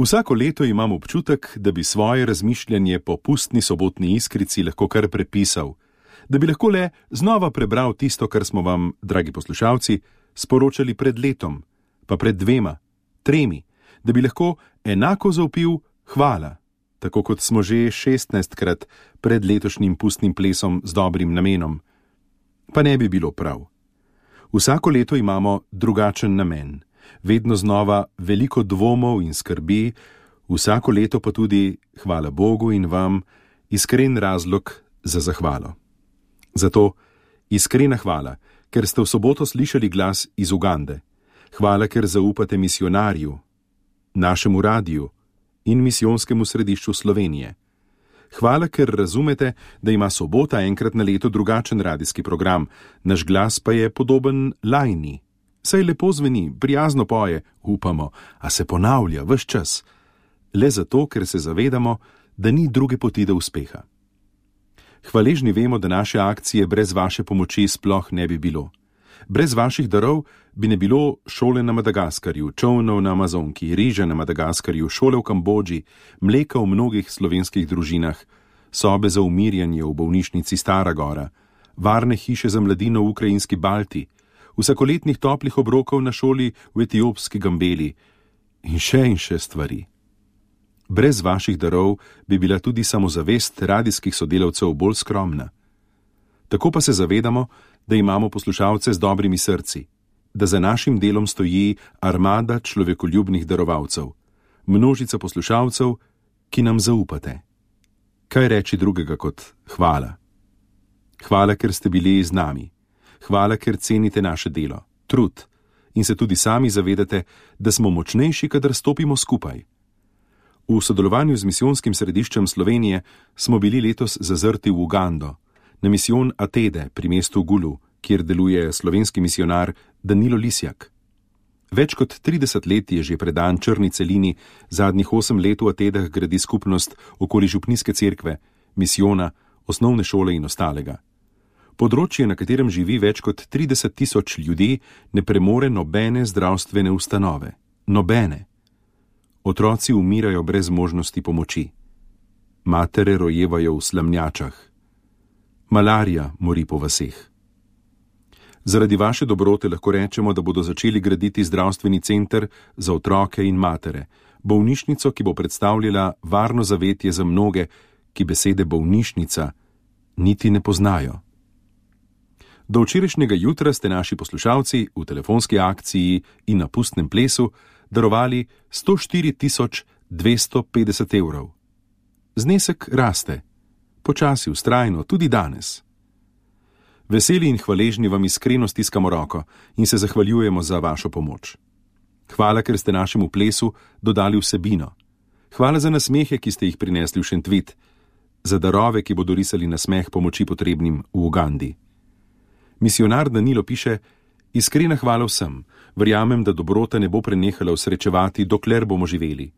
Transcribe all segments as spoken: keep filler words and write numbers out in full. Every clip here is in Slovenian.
Vsako leto imam občutek, da bi svoje razmišljanje po pustni sobotni iskrici lahko kar prepisal, da bi lahko le znova prebral tisto, kar smo vam, dragi poslušalci, sporočali pred letom, pa pred dvema, tremi, da bi lahko enako zavpil hvala, tako kot smo že šestnajstkrat pred letošnjim pustnim plesom z dobrim namenom. Pa ne bi bilo prav. Vsako leto imamo drugačen namen, vedno znova veliko dvomov in skrbi, vsako leto pa tudi, hvala Bogu in vam, iskren razlog za zahvalo. Zato iskrena hvala, ker ste v soboto slišali glas iz Ugande. Hvala, ker zaupate misionarju, našemu radiju in misijonskemu središču Slovenije. Hvala, ker razumete, da ima sobota enkrat na leto drugačen radijski program, naš glas pa je podoben lajni. Saj lepo zveni, prijazno poje, upamo, a se ponavlja ves čas. Le zato, ker se zavedamo, da ni druge poti do uspeha. Hvaležni vemo, da naše akcije brez vaše pomoči sploh ne bi bilo. Brez vaših darov bi ne bilo šole na Madagaskarju, čolnov na Amazonki, riža na Madagaskarju, šole v Kambodži, mleka v mnogih slovenskih družinah, sobe za umirjanje v bolnišnici Stara Gora, varne hiše za mladino v ukrajinski Balti, vsakoletnih toplih obrokov na šoli v etiopski Gambeli in še in še stvari. Brez vaših darov bi bila tudi samozavest radijskih sodelavcev bolj skromna. Tako pa se zavedamo, da imamo poslušalce z dobrimi srci, da za našim delom stoji armada človekoljubnih darovalcev, množica poslušalcev, ki nam zaupate. Kaj reči drugega kot hvala? Hvala, ker ste bili z nami. Hvala, ker cenite naše delo, trud in se tudi sami zavedate, da smo močnejši, kadar stopimo skupaj. V sodelovanju z misijonskim središčem Slovenije smo bili letos zazrti v Ugando, na misijon Atede pri mestu Gulu, kjer deluje slovenski misionar Danilo Lisjak. Več kot trideset let je že predan črni celini, zadnjih osem let v Atedah gradi skupnost okoli župnijske cerkve, misijona, osnovne šole in ostalega. Področje, na katerem živi več kot trideset tisoč ljudi, ne premore nobene zdravstvene ustanove. Nobene. Otroci umirajo brez možnosti pomoči. Matere rojevajo v slamnjačah. Malarija mori po vaseh. Zaradi vaše dobrote lahko rečemo, da bodo začeli graditi zdravstveni center za otroke in matere, bolnišnico, ki bo predstavljala varno zavetje za mnoge, ki besede bolnišnica niti ne poznajo. Do včerajšnjega jutra ste naši poslušalci v telefonski akciji in na pustnem plesu darovali sto štiri tisoč dvesto petdeset evrov. Znesek raste, počasi, vztrajno, tudi danes. Veseli in hvaležni vam iskreno stiskamo roko in se zahvaljujemo za vašo pomoč. Hvala, ker ste našemu plesu dodali vsebino. Hvala za nasmehe, ki ste jih prinesli v Šentvit, za darove, ki bodo risali nasmeh pomoči potrebnim v Ugandi. Misionar Danilo piše: iskrena hvala vsem, verjamem, da dobrota ne bo prenehala usrečevati, dokler bomo živeli.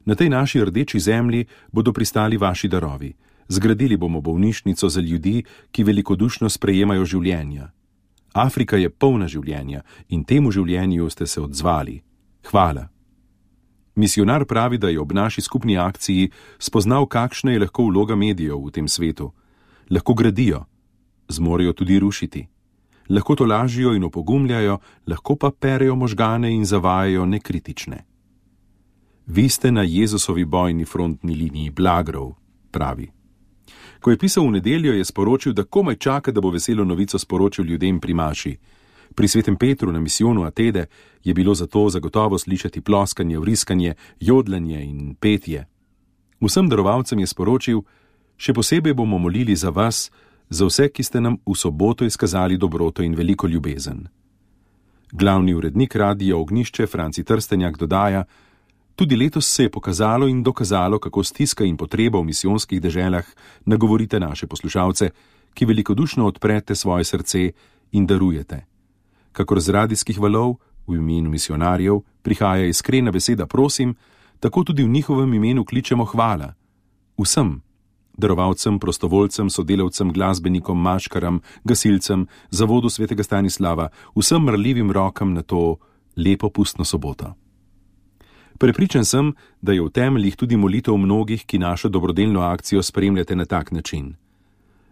Na tej naši rdeči zemlji bodo pristali vaši darovi. Zgradili bomo bolnišnico za ljudi, ki velikodušno sprejemajo življenja. Afrika je polna življenja in temu življenju ste se odzvali. Hvala. Misionar pravi, da je ob naši skupni akciji spoznal, kakšna je lahko vloga medijev v tem svetu. Lahko gradijo, zmorejo tudi rušiti. Lahko to lažijo in opogumljajo, lahko pa perejo možgane in zavajajo nekritične. Vi ste na Jezusovi bojni frontni liniji blagrov, pravi. Ko je pisal v nedeljo, je sporočil, da komaj čaka, da bo veselo novico sporočil ljudem pri maši. Pri svetem Petru na misijonu Atede je bilo zato zagotovo slišati ploskanje, vriskanje, jodlanje in petje. Vsem darovalcem je sporočil: še posebej bomo molili za vas, za vse, ki ste nam v soboto izkazali dobroto in veliko ljubezen. Glavni urednik Radia Ognjišče Franci Trstenjak dodaja: tudi letos se je pokazalo in dokazalo, kako stiska in potreba v misijonskih deželah nagovorite naše poslušalce, ki velikodušno odprete svoje srce in darujete. Kakor z radijskih valov, v imenu misionarjev, prihaja iskrena beseda prosim, tako tudi v njihovem imenu kličemo hvala. Vsem, darovalcem, prostovoljcem, sodelavcem, glasbenikom, maškaram, gasilcem, zavodu svetega Stanislava, vsem mrljivim rokam na to lepo pustno soboto. Prepričan sem, da je v temeljih tudi molitev mnogih, ki našo dobrodelno akcijo spremljate na tak način.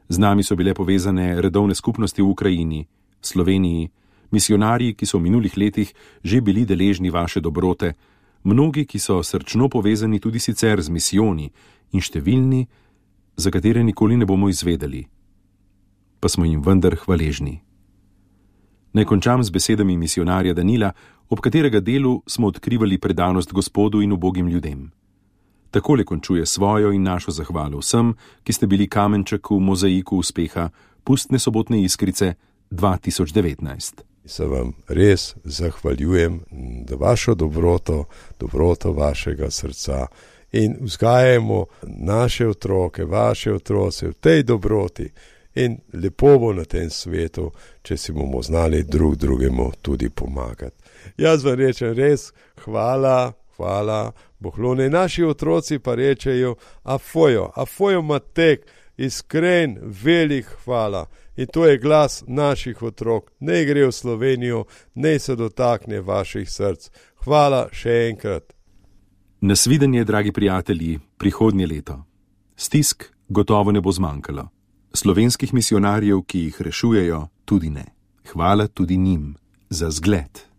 Z nami so bile povezane redovne skupnosti v Ukrajini, Sloveniji, misionarji, ki so v minulih letih že bili deležni vaše dobrote, mnogi, ki so srčno povezani tudi sicer z misijoni in številni, za katere nikoli ne bomo izvedeli. Pa smo jim vendar hvaležni. Naj končam z besedami misionarja Danila, ob katerega delu smo odkrivali predanost Gospodu in ubogim ljudem. Takole končuje svojo in našo zahvalo vsem, ki ste bili kamenček v mozaiku uspeha Pustne sobotne iskrice dva tisoč devetnajst. Se vam res zahvaljujem za vašo dobroto, dobroto vašega srca in vzgajamo naše otroke, vaše otroce v tej dobroti in lepo bo na tem svetu, če si bomo znali drug drugemu tudi pomagati. Jaz vam rečem res hvala, hvala, Bohlone. Naši otroci pa rečejo afojo, afojo matek, iskren, velik hvala. In to je glas naših otrok. Ne gre v Slovenijo, ne se dotakne vaših src. Hvala še enkrat. Nasvidenje, dragi prijatelji, prihodnje leto. Stisk gotovo ne bo zmanjkalo. Slovenskih misionarjev, ki jih rešujejo, tudi ne. Hvala tudi njim za zgled.